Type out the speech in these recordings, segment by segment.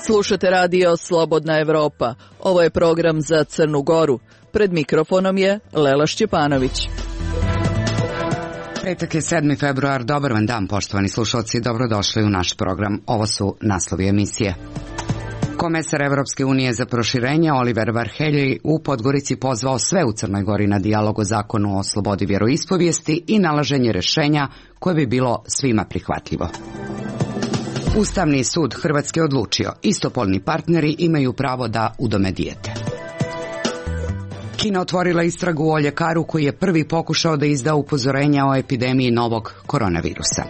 Slušate radio Slobodna Evropa. Ovo je program za Crnu Goru. Pred mikrofonom je Lela Šćepanović. Petak je 7. februar. Dobar vam dan, poštovani slušalci. Dobrodošli u naš program. Ovo su naslovi emisije. Komesar Evropske unije za proširenje Oliver Varhelyi u Podgorici pozvao sve u Crnoj Gori na dijalog o zakonu o slobodi vjeroispovijesti i nalaženje rješenja koje bi bilo svima prihvatljivo. Ustavni sud Hrvatske odlučio, istopolni partneri imaju pravo da udome dijete. Kina otvorila istragu o ljekaru koji je prvi pokušao da izda upozorenja o epidemiji novog koronavirusa.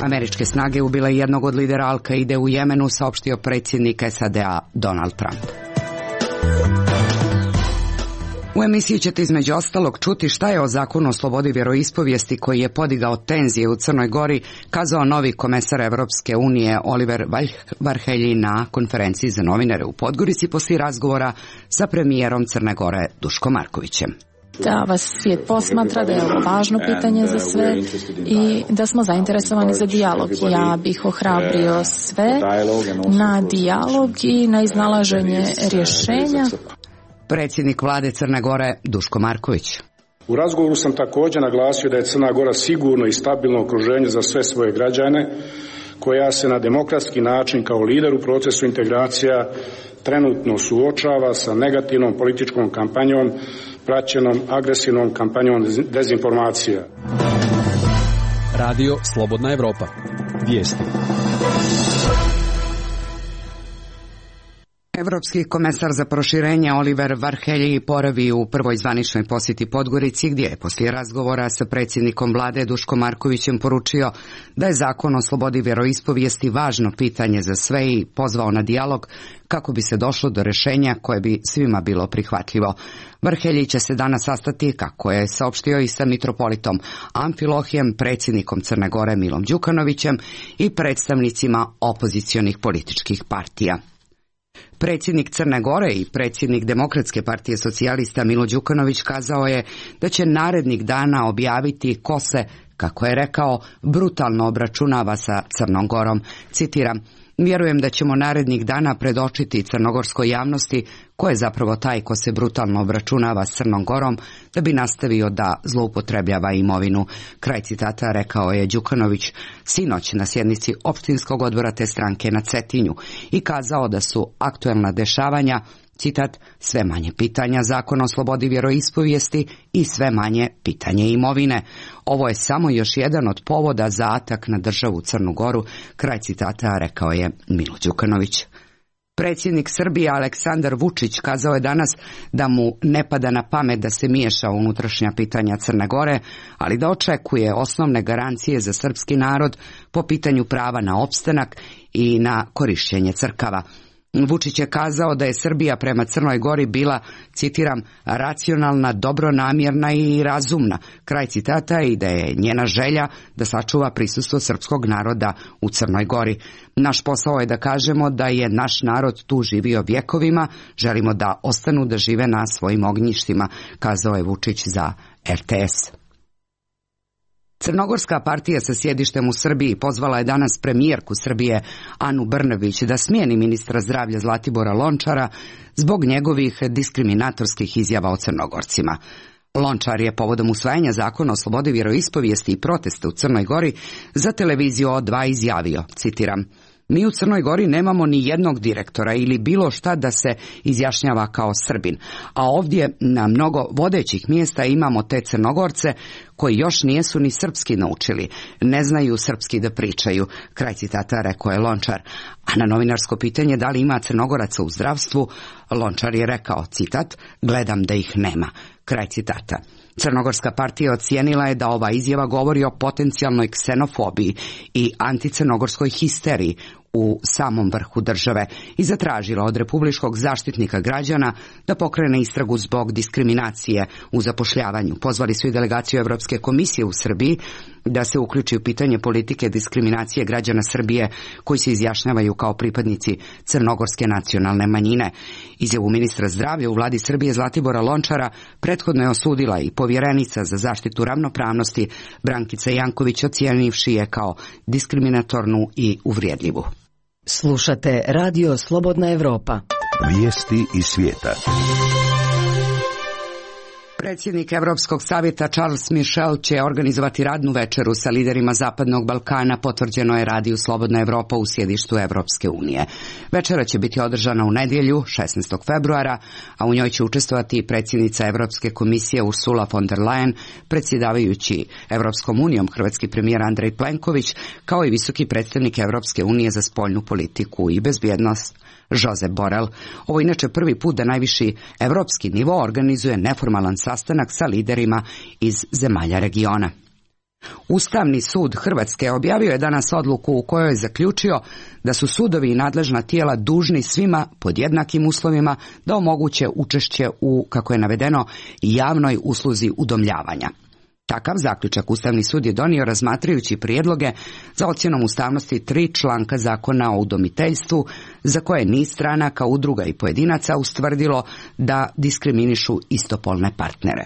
Američke snage ubile jednog od lidera Al-Kaide u Jemenu, saopštio predsjednik SAD-a Donald Trump. U emisiji ćete između ostalog čuti šta je o zakonu o slobodi vjeroispovijesti koji je podigao tenzije u Crnoj Gori kazao novi komesar Evropske unije Oliver Varhelyi na konferenciji za novinare u Podgorici poslije razgovora sa premijerom Crne Gore Duškom Markovićem. Da vas svijet posmatra, da je ovo važno pitanje za sve i da smo zainteresovani za dijalog. Ja bih ohrabrio sve na dijalog i na iznalaženje rješenja. Predsjednik vlade Crne Gore Duško Marković. U razgovoru sam također naglasio da je Crna Gora sigurno i stabilno okruženje za sve svoje građane, koja se na demokratski način kao lider u procesu integracija trenutno suočava sa negativnom političkom kampanjom, praćenom agresivnom kampanjom dezinformacija. Radio Slobodna Evropa. Vijesti. Evropski komesar za proširenje Oliver Varhelyi boravi u prvoj zvaničnoj posjeti Podgorici, gdje je poslije razgovora sa predsjednikom vlade Duškom Markovićem poručio da je zakon o slobodi vjeroispovijesti važno pitanje za sve i pozvao na dijalog kako bi se došlo do rješenja koje bi svima bilo prihvatljivo. Varhelyi će se danas sastati, kako je saopštio, i sa mitropolitom Amfilohijem, predsjednikom Crne Gore Milom Đukanovićem i predstavnicima opozicionih političkih partija. Predsjednik Crne Gore i predsjednik Demokratske partije socijalista Milo Đukanović kazao je da će narednih dana objaviti ko se, kako je rekao, brutalno obračunava sa Crnom Gorom. Citiram: "Vjerujem da ćemo narednih dana predočiti crnogorskoj javnosti ko je zapravo taj ko se brutalno obračunava s Crnom Gorom da bi nastavio da zloupotrebljava imovinu." Kraj citata rekao je Đukanović sinoć na sjednici općinskog odbora te stranke na Cetinju i kazao da su aktuelna dešavanja, citat, sve manje pitanja zakona o slobodi vjeroispovijesti i sve manje pitanje imovine. Ovo je samo još jedan od povoda za atak na državu Crnu Goru, kraj citata rekao je Milo Đukanović. Predsjednik Srbije Aleksandar Vučić kazao je danas da mu ne pada na pamet da se miješa u unutrašnja pitanja Crne Gore, ali da očekuje osnovne garancije za srpski narod po pitanju prava na opstanak i na korištenje crkava. Vučić je kazao da je Srbija prema Crnoj Gori bila, citiram, racionalna, dobronamjerna i razumna, kraj citata, i da je njena želja da sačuva prisustvo srpskog naroda u Crnoj Gori. Naš posao je da kažemo da je naš narod tu živio vjekovima, želimo da ostanu da žive na svojim ognjištima, kazao je Vučić za RTS. Crnogorska partija sa sjedištem u Srbiji pozvala je danas premijerku Srbije Anu Brnabić da smijeni ministra zdravlja Zlatibora Lončara zbog njegovih diskriminatorskih izjava o Crnogorcima. Lončar je povodom usvajanja zakona o slobodi vjeroispovijesti i protesta u Crnoj Gori za televiziju O2 izjavio, citiram: "Mi u Crnoj Gori nemamo ni jednog direktora ili bilo šta da se izjašnjava kao Srbin, a ovdje na mnogo vodećih mjesta imamo te Crnogorce koji još nijesu ni srpski naučili, ne znaju srpski da pričaju", kraj citata rekao je Lončar. A na novinarsko pitanje da li ima Crnogoraca u zdravstvu, Lončar je rekao, citat: "Gledam da ih nema", kraj citata. Crnogorska partija ocijenila je da ova izjava govori o potencijalnoj ksenofobiji i anticrnogorskoj histeriji u samom vrhu države i zatražila od Republičkog zaštitnika građana da pokrene istragu zbog diskriminacije u zapošljavanju. Pozvali su i delegaciju Europske komisije u Srbiji da se uključi u pitanje politike diskriminacije građana Srbije koji se izjašnjavaju kao pripadnici crnogorske nacionalne manjine. Izjavu ministra zdravlja u vladi Srbije Zlatibora Lončara prethodno je osudila i povjerenica za zaštitu ravnopravnosti Brankica Janković, ocijenivši je kao diskriminatornu i uvrijedljivu. Slušate Radio Slobodna Evropa. Vijesti iz svijeta. Predsjednik Evropskog savjeta Charles Michel će organizovati radnu večeru sa liderima Zapadnog Balkana, potvrđeno je Radiju Slobodna Evropa u sjedištu Evropske unije. Večera će biti održana u nedjelju, 16. februara, a u njoj će učestvovati predsjednica Evropske komisije Ursula von der Leyen, predsjedavajući Evropskom unijom hrvatski premijer Andrej Plenković, kao i visoki predstavnik Evropske unije za spoljnu politiku i bezbjednost Josep Borrell. Ovo inače prvi put da najviši evropski nivo organizuje neformalan sastanak sa liderima iz zemalja regiona. Ustavni sud Hrvatske objavio je danas odluku u kojoj je zaključio da su sudovi i nadležna tijela dužni svima pod jednakim uslovima da omoguće učešće u, kako je navedeno, javnoj usluzi udomljavanja. Takav zaključak Ustavni sud je donio razmatrajući prijedloge za ocjenom ustavnosti 3 članka zakona o udomiteljstvu, za koje niz stranaka, udruga i pojedinaca ustvrdilo da diskriminišu istopolne partnere.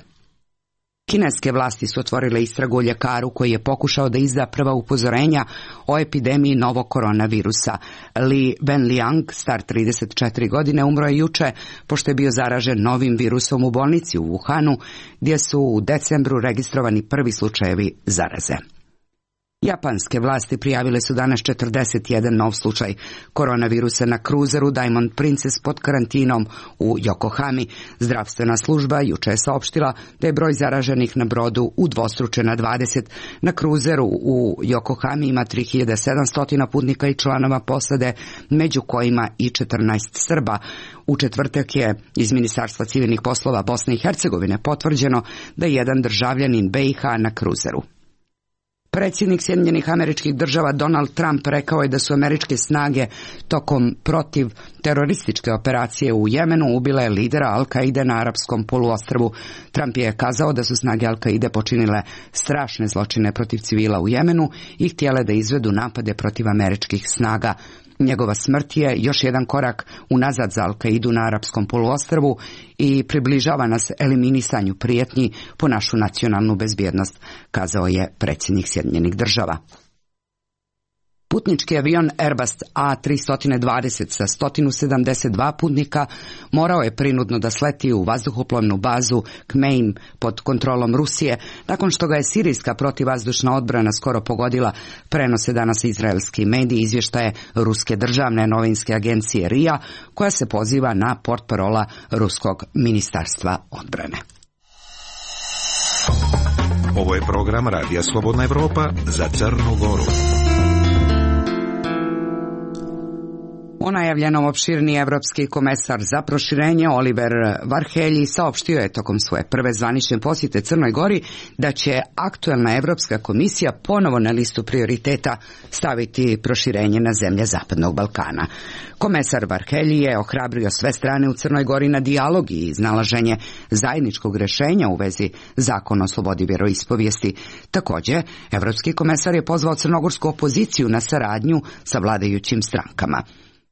Kineske vlasti su otvorile istragu o ljekaru koji je pokušao da izda prva upozorenja o epidemiji novog koronavirusa. Li Wenliang, star 34 godine, umro je juče pošto je bio zaražen novim virusom u bolnici u Wuhanu, gdje su u decembru registrovani prvi slučajevi zaraze. Japanske vlasti prijavile su danas 41 nov slučaj koronavirusa na kruzeru Diamond Princess pod karantinom u Yokohami. Zdravstvena služba juče je saopštila da je broj zaraženih na brodu udvostručen na 20. Na kruzeru u Yokohami ima 3700 putnika i članova posade, među kojima i 14 Srba. U četvrtak je iz Ministarstva civilnih poslova Bosne i Hercegovine potvrđeno da je jedan državljanin BiH na kruzeru. Predsjednik Sjedinjenih Američkih Država Donald Trump rekao je da su američke snage tokom protiv terorističke operacije u Jemenu ubile lidera Al-Kaide na arapskom poluostrvu. Trump je kazao da su snage Al-Kaide počinile strašne zločine protiv civila u Jemenu i htjele da izvedu napade protiv američkih snaga. Njegova smrt je još jedan korak unazad za Al-Kaidu na arapskom poluostrvu i približava nas eliminisanju prijetnji po našu nacionalnu bezbjednost, kazao je predsjednik Sjedinjenih Država. Putnički avion Airbus A320 sa 172 putnika morao je prinudno da sleti u vazduhoplovnu bazu Kmeim pod kontrolom Rusije, nakon što ga je sirijska protivvazdušna odbrana skoro pogodila, prenose danas izraelski mediji izvještaje ruske državne novinske agencije RIA, koja se poziva na portparola ruskog ministarstva odbrane. Ovo je program Radija Slobodna Evropa za Crnu Goru. O najavljenom opširni evropski komesar za proširenje Oliver Varhelyi saopštio je tokom svoje prve zvanične posjete Crnoj Gori da će aktuelna Evropska komisija ponovo na listu prioriteta staviti proširenje na zemlje Zapadnog Balkana. Komesar Varhelyi je ohrabrio sve strane u Crnoj Gori na dijalog i iznalaženje zajedničkog rješenja u vezi zakona o slobodi vjeroispovijesti. Također, evropski komesar je pozvao crnogorsku opoziciju na saradnju sa vladajućim strankama.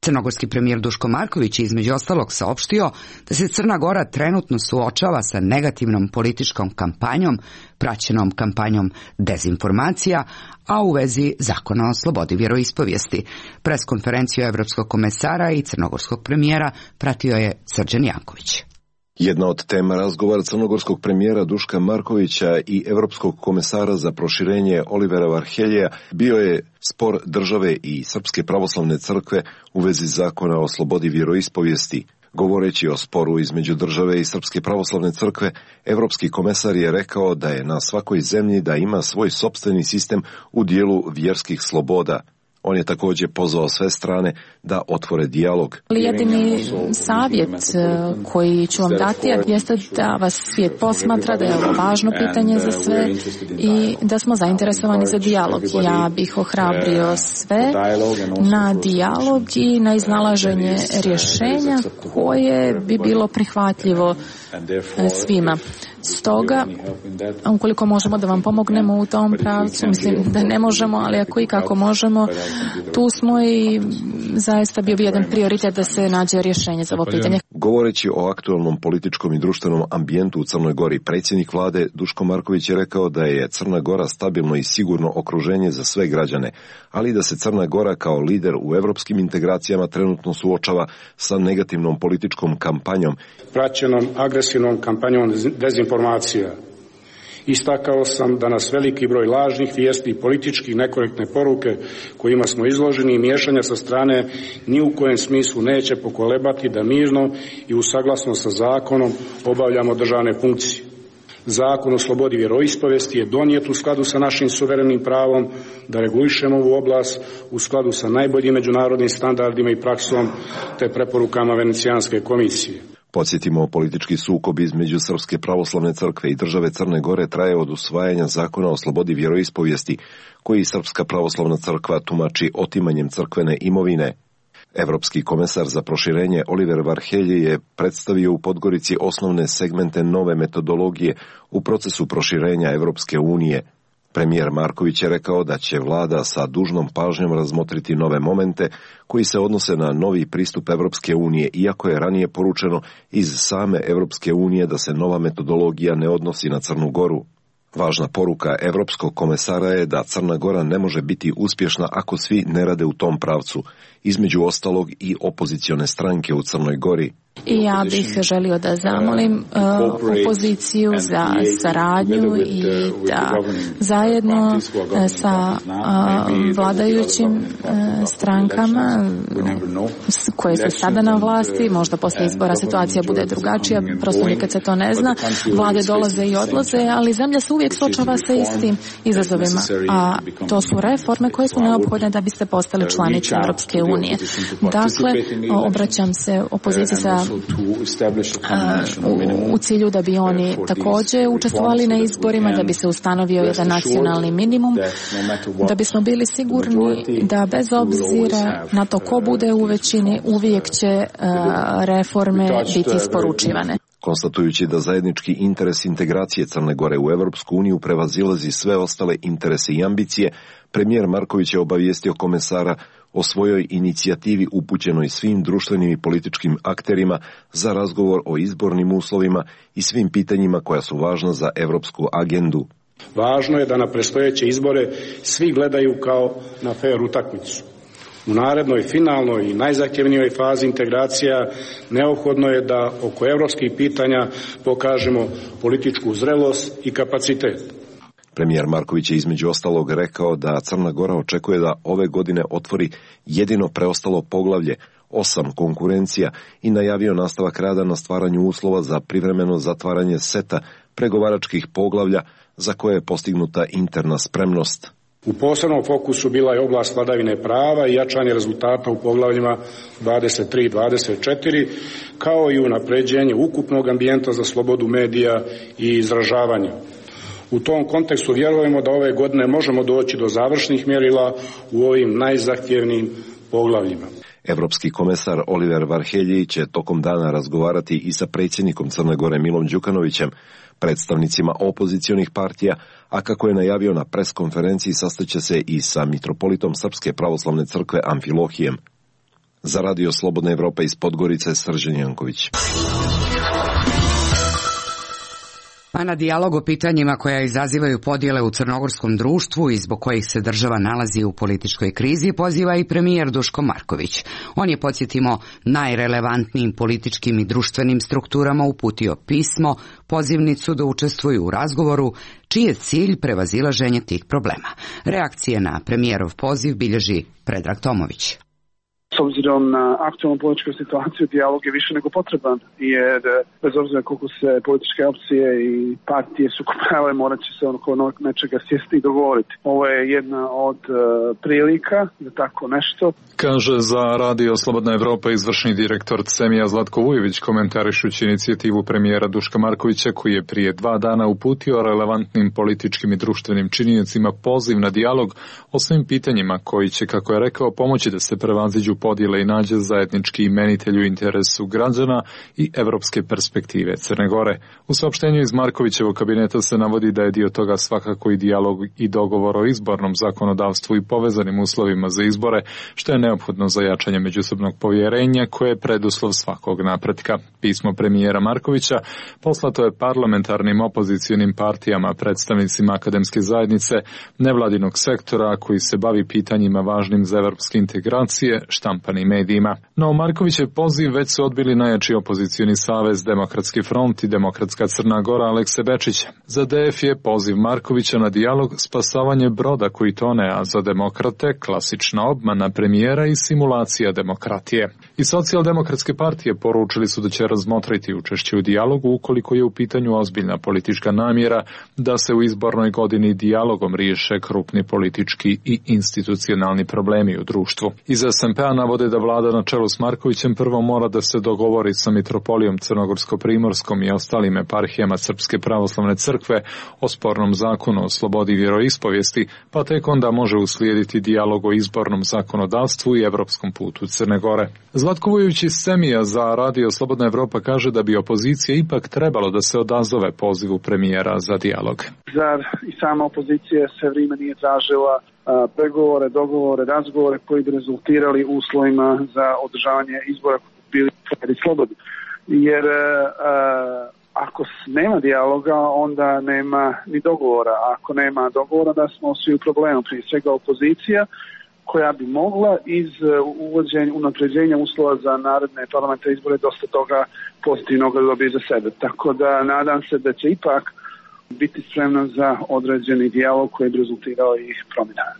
Crnogorski premijer Duško Marković je između ostalog saopštio da se Crna Gora trenutno suočava sa negativnom političkom kampanjom, praćenom kampanjom dezinformacija, a u vezi zakona o slobodi vjeroispovijesti. Preskonferenciju evropskog komesara i crnogorskog premijera pratio je Srđan Janković. Jedna od tema razgovora crnogorskog premijera Duška Markovića i evropskog komesara za proširenje Olivera Varhelija bio je spor države i Srpske pravoslavne crkve u vezi zakona o slobodi vjeroispovijesti. Govoreći o sporu između države i Srpske pravoslavne crkve, evropski komesar je rekao da je na svakoj zemlji da ima svoj sopstveni sistem u dijelu vjerskih sloboda. On je također pozvao sve strane da otvore dijalog. Jedini savjet koji ću vam dati jeste da vas svijet posmatra, da je ovo važno pitanje za sve i da smo zainteresovani za dijalog. Ja bih ohrabrio sve na dijalog i na iznalaženje rješenja koje bi bilo prihvatljivo svima. Stoga, ukoliko možemo da vam pomognemo u tom pravcu, mislim da ne možemo, ali ako i kako možemo, tu smo i zaista bio jedan prioritet da se nađe rješenje za ovo pitanje. Govoreći o aktualnom političkom i društvenom ambijentu u Crnoj Gori, predsjednik vlade Duško Marković je rekao da je Crna Gora stabilno i sigurno okruženje za sve građane, ali da se Crna Gora kao lider u evropskim integracijama trenutno suočava sa negativnom političkom kampanjom. Praćenom agresivnom kampanjom dezinformacija. Istakao sam da nas veliki broj lažnih vijesti i politički nekorektne poruke kojima smo izloženi i miješanja sa strane ni u kojem smislu neće pokolebati da mirno i u saglasnost sa zakonom obavljamo državne funkcije. Zakon o slobodi vjeroispovesti je donijet u skladu sa našim suverenim pravom da regulišemo ovu oblast u skladu sa najboljim međunarodnim standardima i praksom te preporukama Venecijanske komisije. Podsjetimo, politički sukob između Srpske pravoslavne crkve i države Crne Gore traje od usvajanja zakona o slobodi vjeroispovijesti, koji Srpska pravoslavna crkva tumači otimanjem crkvene imovine. Evropski komesar za proširenje Oliver Varhelji je predstavio u Podgorici osnovne segmente nove metodologije u procesu proširenja Evropske unije. Premijer Marković je rekao da će vlada sa dužnom pažnjom razmotriti nove momente koji se odnose na novi pristup Evropske unije, iako je ranije poručeno iz same Evropske unije da se nova metodologija ne odnosi na Crnu Goru. Važna poruka Evropskog komesara je da Crna Gora ne može biti uspješna ako svi ne rade u tom pravcu, između ostalog i opozicione stranke u Crnoj Gori. I ja bih želio da zamolim opoziciju za saradnju i da zajedno sa vladajućim strankama koje su sada na vlasti, možda posle izbora situacija bude drugačija, prosto nikad se to ne zna, vlade dolaze i odlaze, ali zemlja se uvijek suočava sa istim izazovima, a to su reforme koje su neophodne da biste postali članice Europske unije. Dakle, obraćam se opoziciji sa u cilju da bi oni također učestvovali na izborima, da bi se ustanovio jedan nacionalni minimum, da bismo bili sigurni da bez obzira na to ko bude u većini, uvijek će reforme biti isporučivane. Konstatujući da zajednički interes integracije Crne Gore u Evropsku uniju prevazilazi sve ostale interese i ambicije, premijer Marković je obavijestio komesara o svojoj inicijativi upućenoj svim društvenim i političkim akterima za razgovor o izbornim uslovima i svim pitanjima koja su važna za evropsku agendu. Važno je da na predstojeće izbore svi gledaju kao na fer utakmicu. U narednoj, finalnoj i najzahtjevnijoj fazi integracija neophodno je da oko evropskih pitanja pokažemo političku zrelost i kapacitet. Premijer Marković je između ostalog rekao da Crna Gora očekuje da ove godine otvori jedino preostalo poglavlje 8 konkurencija i najavio nastavak rada na stvaranju uslova za privremeno zatvaranje seta pregovaračkih poglavlja za koje je postignuta interna spremnost. U posebnom fokusu bila je oblast vladavine prava i jačanje rezultata u poglavljima 23 i 24, kao i unapređenje ukupnog ambijenta za slobodu medija i izražavanja. U tom kontekstu vjerujemo da ove godine možemo doći do završnih mjerila u ovim najzahtjevnijim poglavljima. Evropski komesar Oliver Varhelji će tokom dana razgovarati i sa predsjednikom Crne Gore Milom Đukanovićem, predstavnicima opozicionih partija, a kako je najavio na preskonferenciji sastaće se i sa mitropolitom Srpske pravoslavne crkve Amfilohijem. Za Radio Slobodna Evropa iz Podgorice, Srđan Janković. A na dijalog o pitanjima koja izazivaju podjele u crnogorskom društvu i zbog kojih se država nalazi u političkoj krizi poziva i premijer Duško Marković. On je, podsjetimo, najrelevantnijim političkim i društvenim strukturama uputio pismo, pozivnicu da učestvuju u razgovoru, čiji je cilj prevazilaženje tih problema. Reakcije na premijerov poziv bilježi Predrag Tomović. S obzirom na aktualnu političku situaciju, dijalog je više nego potreban, jer bez obzira koliko se političke opcije i partije sukobljavaju, morat će se oko nečega sjesti i dogovoriti. Ovo je jedna od prilika za tako nešto. Kaže za Radio Slobodna Evropa izvršni direktor CEMIA Zlatko Vujović, komentarišući inicijativu premijera Duška Markovića, koji je prije 2 dana uputio relevantnim političkim i društvenim činiocima poziv na dijalog o svim pitanjima koji će, kako je rekao, pomoći da se prevaziđu podjele i nađe zajednički imenitelj u interesu građana i evropske perspektive Crne Gore. U saopštenju iz Markovićevog kabineta se navodi da je dio toga svakako i dijalog i dogovor o izbornom zakonodavstvu i povezanim uslovima za izbore, što je neophodno za jačanje međusobnog povjerenja koje je preduslov svakog napretka. Pismo premijera Markovića poslato je parlamentarnim opozicionim partijama, predstavnicima akademske zajednice, nevladinog sektora koji se bavi pitanjima važnim za evropske integracije, štampanim medijima. No Markovićev poziv već su odbili najjači opozicioni savez Demokratski front i Demokratska Crna Gora Alekse Bečića. Za DF je poziv Markovića na dijalog spasavanje broda koji tone, a za demokrate klasična obmana premijera i simulacija demokratije. I socijaldemokratske partije poručili su da će razmotriti učešće u dijalogu ukoliko je u pitanju ozbiljna politička namjera da se u izbornoj godini dijalogom riješe krupni politički i institucionalni problemi u društvu. Iz SMP-a navode da vlada na čelu s Markovićem prvo mora da se dogovori sa mitropolijom Crnogorsko-Primorskom i ostalim eparhijama Srpske pravoslavne crkve o spornom zakonu o slobodi vjeroispovijesti, pa tek onda može uslijediti dijalog o izbornom zakonodavstvu i evropskom putu Crne Gore. Zlatko Vujović iz Semija za Radio Slobodna Evropa kaže da bi opozicija ipak trebalo da se odazove pozivu premijera za dijalog. Zar i sama opozicija sve vrijeme nije tražila pregovore, dogovore, razgovore koji bi rezultirali uslovima za održavanje izbora koji bi bili fer i slobodni. Jer ako nema dijaloga, onda nema ni dogovora. Ako nema dogovora, da smo svi u problemu. Prije svega opozicija koja bi mogla iz unapređenja uslova za naredne parlamentarne izbore dosta toga pozitivnog da dobije za sebe. Tako da nadam se da će ipak biti spremna za određeni dijalog koji bi rezultirao i promjenama.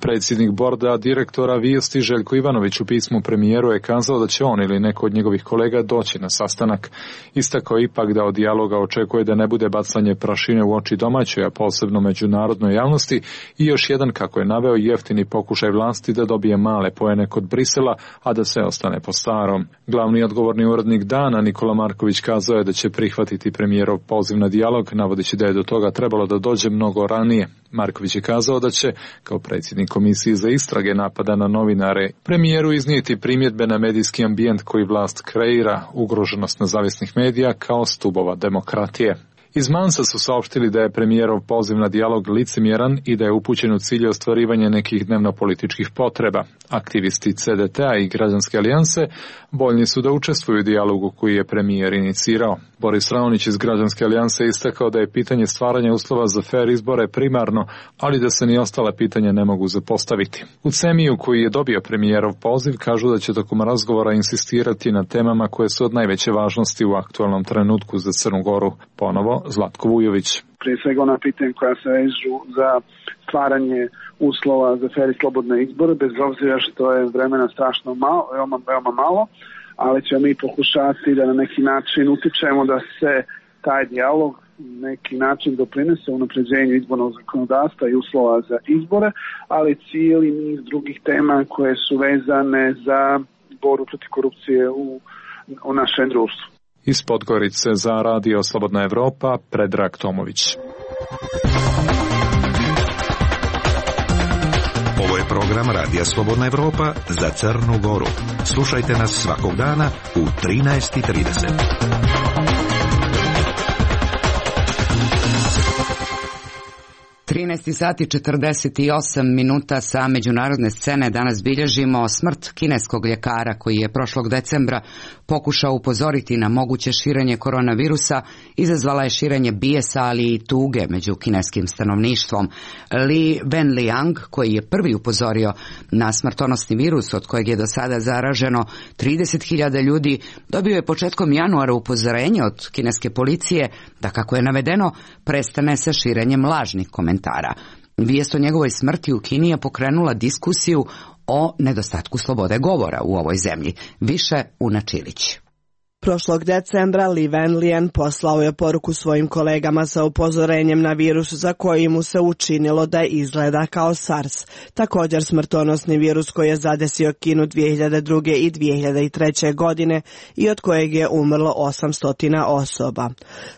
Predsjednik borda direktora Vijesti Željko Ivanović u pismu premijeru je kazao da će on ili neko od njegovih kolega doći na sastanak. Istakao ipak da od dijaloga očekuje da ne bude bacanje prašine u oči domaćoj, a posebno međunarodnoj javnosti i još jedan, kako je naveo, jeftini pokušaj vlasti da dobije male poene kod Brisela, a da se ostane po starom. Glavni odgovorni urednik Dana Nikola Marković kazao je da će prihvatiti premijerov poziv na dijalog, navodeći da je do toga trebalo da dođe mnogo ranije. Marković je kazao da će, kao predsjednik Komisije za istrage napada na novinare, premijeru iznijeti primjedbe na medijski ambijent koji vlast kreira, ugroženost nezavisnih medija kao stubova demokratije. Iz Mansa su saopštili da je premijerov poziv na dijalog licemjeran i da je upućen u cilju ostvarivanja nekih dnevno-političkih potreba. Aktivisti CDT-a i Građanske alijanse voljni su da učestvuju u dijalogu koji je premijer inicirao. Boris Raonić iz Građanske alijanse istakao da je pitanje stvaranja uslova za fer izbore primarno, ali da se ni ostala pitanja ne mogu zapostaviti. U Semiju, koji je dobio premijerov poziv, kažu da će tokom razgovora insistirati na temama koje su od najveće važnosti u aktualnom trenutku za Crnu Goru. Ponovo Zlatko Vujović. Prije svega ona pitanja koja se vežu za stvaranje uslova za fer i slobodne izbore, bez obzira što je vremena strašno malo, veoma malo, ali ćemo mi pokušati da na neki način utičemo da se taj dijalog neki način doprinese unapređenju izbornog zakonodavstva i uslova za izbore, ali cijeli niz drugih tema koje su vezane za borbu protiv korupcije u našem društvu. Iz Podgorice za Radio Slobodna Evropa, Predrag Tomović. Ovo je program Radija Slobodna Evropa za Crnu Goru. Slušajte nas svakog dana u 13:30. 13 sati 48 minuta sa međunarodne scene danas bilježimo smrt kineskog ljekara koji je prošlog decembra pokušao upozoriti na moguće širenje koronavirusa, izazvala je širenje bijesa, ali i tuge među kineskim stanovništvom. Li Wenliang, koji je prvi upozorio na smrtonosni virus od kojeg je do sada zaraženo 30.000 ljudi, dobio je početkom januara upozorenje od kineske policije da, kako je navedeno, prestane sa širenjem lažnih komentara. Vijest o njegovoj smrti u Kini je pokrenula diskusiju o nedostatku slobode govora u ovoj zemlji. Više Una Čilić. Prošlog decembra Li Wenlian poslao je poruku svojim kolegama sa upozorenjem na virus za koji mu se učinilo da izgleda kao SARS, također smrtonosni virus koji je zadesio Kinu 2002. i 2003. godine i od kojeg je umrlo 800 osoba.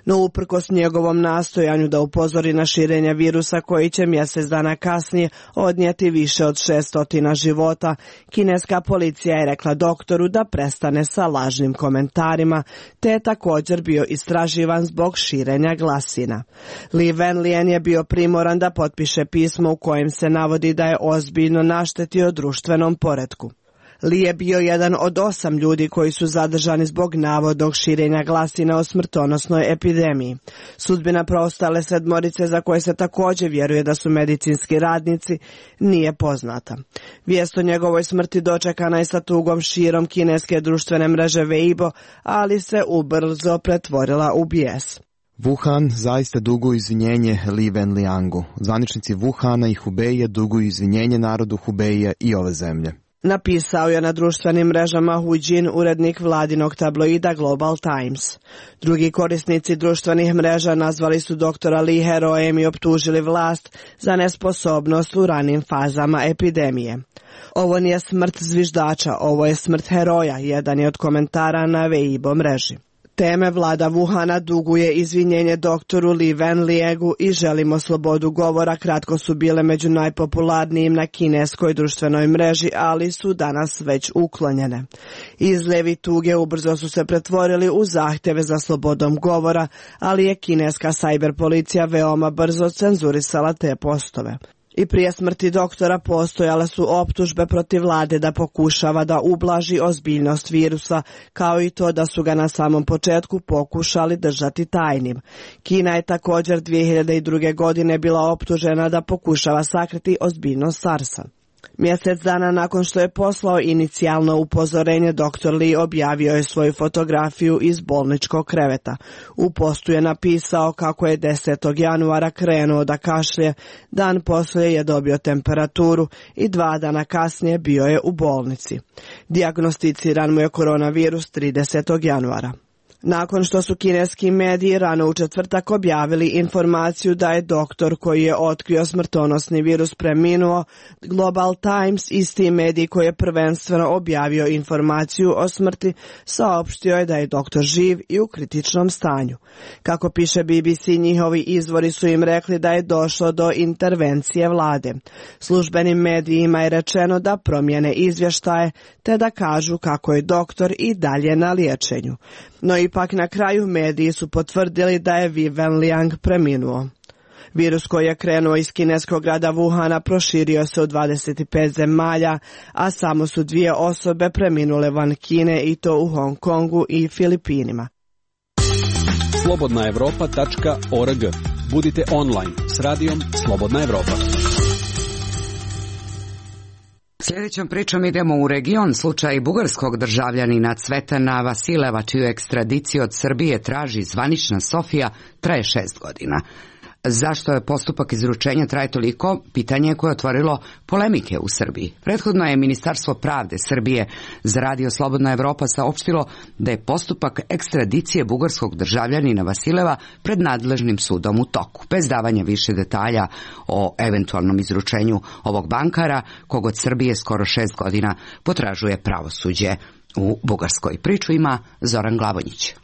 No uprkos njegovom nastojanju da upozori na širenje virusa koji će mjesec dana kasnije odnijeti više od 600 života, kineska policija je rekla doktoru da prestane sa lažnim komentarima, te je također bio istraživan zbog širenja glasina. Li Wenlian je bio primoran da potpiše pismo u kojem se navodi da je ozbiljno naštetio društvenom poretku. Li je bio jedan od 8 ljudi koji su zadržani zbog navodnog širenja glasina o smrtonosnoj epidemiji. Sudbina preostale 7 za koje se također vjeruje da su medicinski radnici nije poznata. Vijest o njegovoj smrti dočekana je sa tugom širom kineske društvene mreže Weibo, ali se ubrzo pretvorila u bijes. Wuhan zaista duguju izvinjenje Li Wenliangu. Zvaničnici Wuhana i Hubeija duguju izvinjenje narodu Hubeija i ove zemlje. Napisao je na društvenim mrežama Hu Jin, urednik vladinog tabloida Global Times. Drugi korisnici društvenih mreža nazvali su doktora Li herojem i optužili vlast za nesposobnost u ranim fazama epidemije. Ovo nije smrt zviždača, ovo je smrt heroja, jedan je od komentara na Weibo mreži. Teme vlada Wuhana duguje izvinjenje doktoru Li Wenliangu i želimo slobodu govora kratko su bile među najpopularnijim na kineskoj društvenoj mreži, ali su danas već uklonjene. Izljevi tuge ubrzo su se pretvorili u zahtjeve za slobodom govora, ali je kineska cyber policija veoma brzo cenzurisala te postove. I prije smrti doktora postojale su optužbe protiv vlade da pokušava da ublaži ozbiljnost virusa, kao i to da su ga na samom početku pokušali držati tajnim. Kina je također 2002. godine bila optužena da pokušava sakriti ozbiljnost SARS-a. Mjesec dana nakon što je poslao inicijalno upozorenje, dr. Li objavio je svoju fotografiju iz bolničkog kreveta. U postu je napisao kako je 10. januara krenuo da kašlje, dan poslije je dobio temperaturu i 2 dana kasnije bio je u bolnici. Dijagnosticiran mu je koronavirus 30. januara. Nakon što su kineski mediji rano u četvrtak objavili informaciju da je doktor koji je otkrio smrtonosni virus preminuo, Global Times, isti medij koji je prvenstveno objavio informaciju o smrti, saopštio je da je doktor živ i u kritičnom stanju. Kako piše BBC, njihovi izvori su im rekli da je došlo do intervencije vlade. Službenim medijima je rečeno da promijene izvještaje te da kažu kako je doktor i dalje na liječenju. No ipak na kraju mediji su potvrdili da je Li Wenliang preminuo. Virus koji je krenuo iz kineskog grada Wuhana proširio se u 25 zemalja, a samo su 2 osobe preminule van Kine i to u Hong Kongu i Filipinima. Slobodnaevropa.org. Budite online s radijom Slobodna Evropa. Sljedećom pričom idemo u region. Slučaj bugarskog državljanina Cvetana Vasileva, čiju ekstradiciju od Srbije traži zvanična Sofija, traje 6 godina. Zašto je postupak izručenja traje toliko? Pitanje koje je otvorilo polemike u Srbiji. Prethodno je Ministarstvo pravde Srbije za radio Slobodna Evropa saopštilo da je postupak ekstradicije bugarskog državljanina Vasileva pred nadležnim sudom u toku, bez davanja više detalja o eventualnom izručenju ovog bankara, kog od Srbije skoro 6 godina potražuje pravosuđe u Bugarskoj. Priču ima Zoran Glavonjić.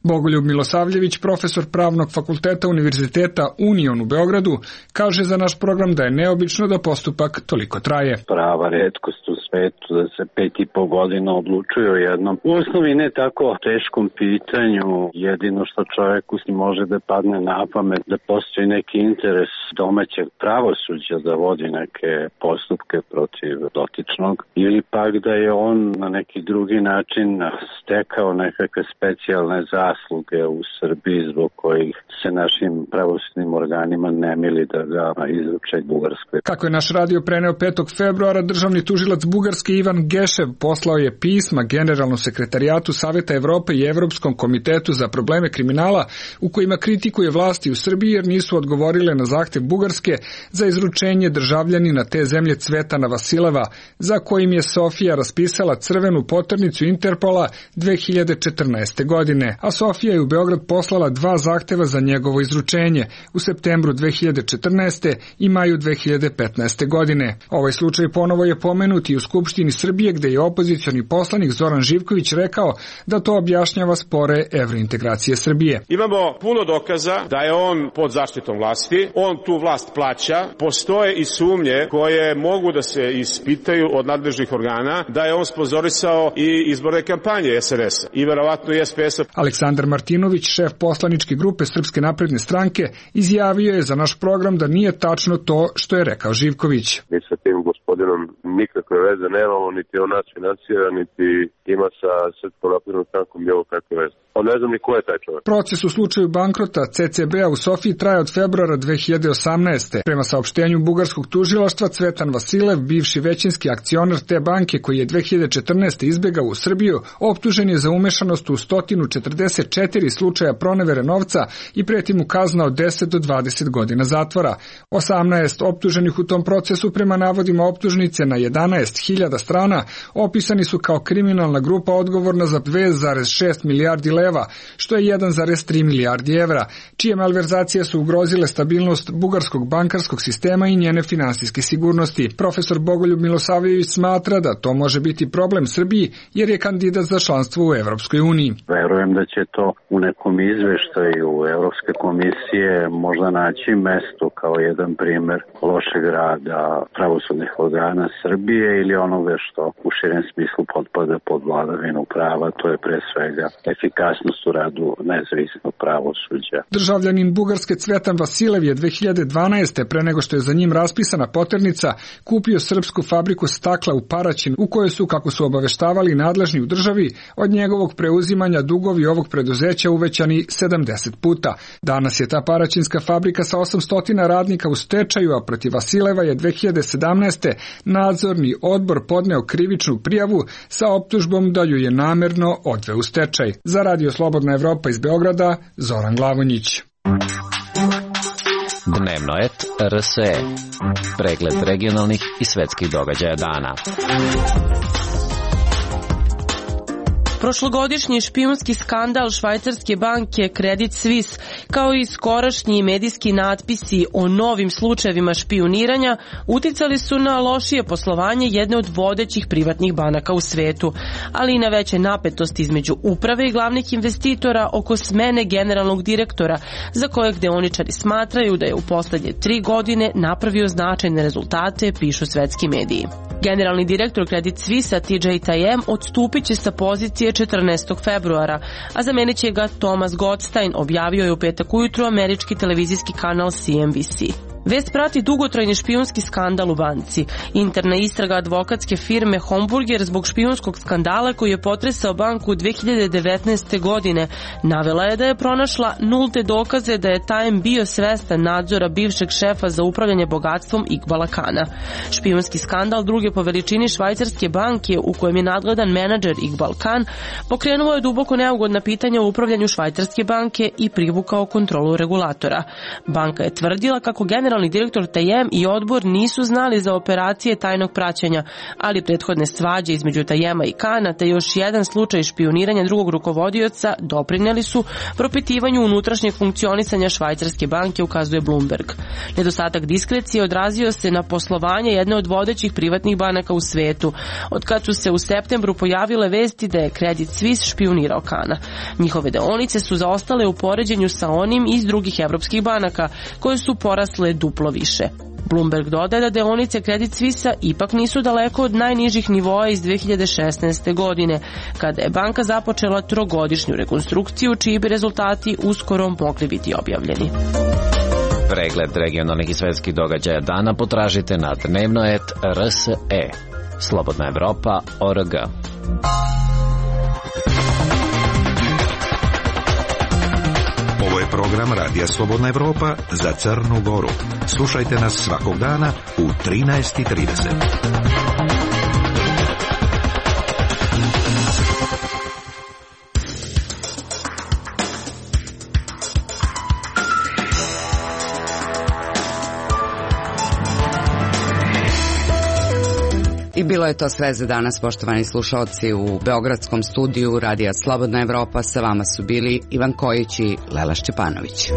Bogoljub Milosavljević, profesor Pravnog fakulteta Univerziteta Union u Beogradu, kaže za naš program da je neobično da postupak toliko traje. Prava retkost u svetu da se 5,5 godina odlučuje o jednom u osnovi ne tako teškom pitanju. Jedino što čovjeku može da padne na pamet da postoji neki interes domaćeg pravosuđa da vodi neke postupke protiv dotičnog ili pak da je on na neki drugi način stekao nekakve specijalne zasluge u Srbiji zbog kojih se našim pravosudnim organima ne mili da ga izruče Bugarskoj. Kako je naš radio preneo 5. februara, državni tužilac Bugarske Ivan Gešev poslao je pisma Generalnom sekretarijatu Saveta Evrope i Evropskom komitetu za probleme kriminala u kojima kritikuje vlasti u Srbiji jer nisu odgovorile na zahtev Bugarske za izručenje državljanina te zemlje Cvetana Vasileva, za kojim je Sofija raspisala crvenu poternicu Interpola 2014. godine, a Sofija je u Beograd poslala 2 zahteva za njegovo izručenje u septembru 2014. i maju 2015. godine. Ovaj slučaj ponovo je pomenut i u Skupštini Srbije gde je opozicioni poslanik Zoran Živković rekao da to objašnjava spore evrointegracije Srbije. Imamo puno dokaza da je on pod zaštitom vlasti, on tu vlast plaća, postoje i sumnje koje mogu da se ispitaju od nadležnih organa da je on sponzorisao i izborne kampanje SNS-a i verovatno i SPS-a. Aleksandar Martinović, šef poslaničke grupe Srpske napredne stranke, izjavio je za naš program da nije tačno to što je rekao Živković. Mi sa tim gospodinom nikakve veze nemamo, niti on nas finansira, niti ima sa Srpskom naprednom strankom bilo kakve veze. On ne znam ni ko je taj čovjek. Proces u slučaju bankrota CCB-a u Sofiji traje od februara 2018. Prema saopštenju bugarskog tužilaštva, Cvetan Vasilev, bivši većinski akcionar te banke koji je 2014. izbegao u Srbiju, optužen je za umešanost u 144 slučaja pronevere novca i preti mu kazna od 10 do 20 godina zatvora. 18 optuženih u tom procesu prema navodima optužnice na 11.000 strana opisani su kao kriminalna grupa odgovorna za 2,6 milijardi leva, što je 1,3 milijardi evra, čije malverzacije su ugrozile stabilnost bugarskog bankarskog sistema i njene finansijske sigurnosti. Profesor Bogoljub Milosavljević smatra da to može biti problem Srbiji jer je kandidat za članstvo u Evropskoj uniji. Verujem da će to u nekom izveštaju Evropske komisije možda naći mesto kao jedan primer lošeg rada pravosudnih organa Srbije ili onoga što u širem smislu potpada pod vladavinu prava, to je pre svega efikasnost u radu nezavisnog pravosuđa. Državljanin Bugarske Cvetan Vasilev je 2012. pre nego što je za njim raspisana poternica kupio srpsku fabriku stakla u Paraćinu u kojoj su, kako su obaveštavali nadležni u državi, od njegovog preuzimanja dugovi ovog preduzeća uvećani 70 puta. Danas je ta paraćinska fabrika sa 800 radnika u stečaju, a protiv Vasileva je 2017. nadzorni odbor podneo krivičnu prijavu sa optužbom da ju je namerno odveo u stečaj. Za Radio Slobodna Evropa iz Beograda, Zoran Glavonjić. Dnevno et RSE. Pregled regionalnih i svetskih događaja dana. Prošlogodišnji špijunski skandal švajcarske banke Credit Suisse, kao i skorašnji medijski natpisi o novim slučajevima špijuniranja, uticali su na lošije poslovanje jedne od vodećih privatnih banaka u svetu, ali i na veće napetosti između uprave i glavnih investitora oko smene generalnog direktora, za kojeg deoničari smatraju da je u poslednje 3 godine napravio značajne rezultate, pišu svetski mediji. Generalni direktor Credit Suisse TJ Tajem odstupit će sa pozicije 14. februara, a zamenit će ga Thomas Gottstein, objavio je u petak ujutru američki televizijski kanal CNBC. Vest prati dugotrajni špijunski skandal u banci. Interna istraga advokatske firme Homburger zbog špijunskog skandala koji je potresao banku 2019. godine navela je da je pronašla nulte dokaze da je Tajem bio svestan nadzora bivšeg šefa za upravljanje bogatstvom Iqbala Kana. Špijunski skandal druge po veličini švajcarske banke u kojem je nadgledan menadžer Iqbal Khan pokrenuo je duboko neugodna pitanja o upravljanju švajcarske banke i privukao kontrolu regulatora. Banka je tvrdila kako generalni direktor Tajem i odbor nisu znali za operacije tajnog praćenja, ali prethodne svađe između Tajema i Kana te još jedan slučaj špijuniranja drugog rukovodioca doprineli su propitivanju unutrašnjeg funkcionisanja švajcarske banke, ukazuje Bloomberg. Nedostatak diskrecije odrazio se na poslovanje jedne od vodećih privatnih banaka u svetu, od kad su se u septembru pojavile vesti da je Credit Suisse špijunirao Kana. Njihove deonice su zaostale u poređenju sa onim iz drugih evropskih banaka, koje su porasle duplo više. Bloomberg dodaje da deonice Credit Suisse ipak nisu daleko od najnižih nivoa iz 2016. godine, kada je banka započela 3-godišnju rekonstrukciju, čiji bi rezultati uskoro mogli biti objavljeni. Pregled regionalnih i svetskih događaja dana potražite na dnevnoet.rs. Slobodna Evropa.org. Ovo je program Radija Slobodna Evropa za Crnu Goru. Slušajte nas svakog dana u 13:30. bilo je to sve za danas, poštovani slušalci. U beogradskom studiju Radija Slobodna Evropa sa vama su bili Ivan Kojić i Lela Šćepanović.